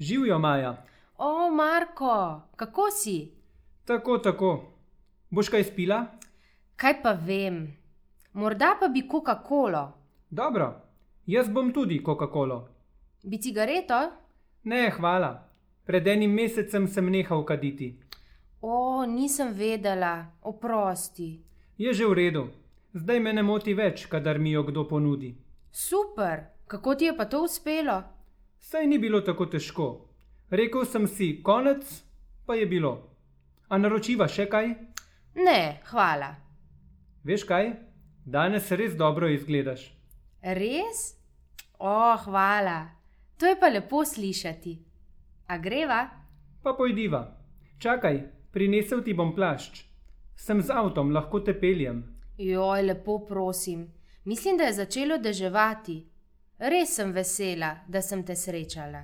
Živjo, Maja. O, Marko, kako si? Tako. Boš kaj spila? Kaj pa vem. Morda pa bi Coca-Colo. Dobro, jaz bom tudi Coca-Colo. Bi cigareto? Ne, hvala. Pred enim mesecem sem nehal kaditi. O, nisem vedela, oprosti. Je že v redu. Zdaj me ne moti več, kadar mi jo kdo ponudi. Super, kako ti je pa to uspelo? Saj ni bilo tako težko. Rekel sem si konec, pa je bilo. A naročiva še kaj? Ne, hvala. Veš kaj? Danes res dobro izgledaš. Res? O, hvala. To je pa lepo slišati. A greva? Pa pojdiva. Čakaj, prinesel ti bom plašč. Sem z avtom, lahko te peljem. Joj, lepo prosim. Mislim, da je začelo deževati. Res sem vesela, da sem te srečala.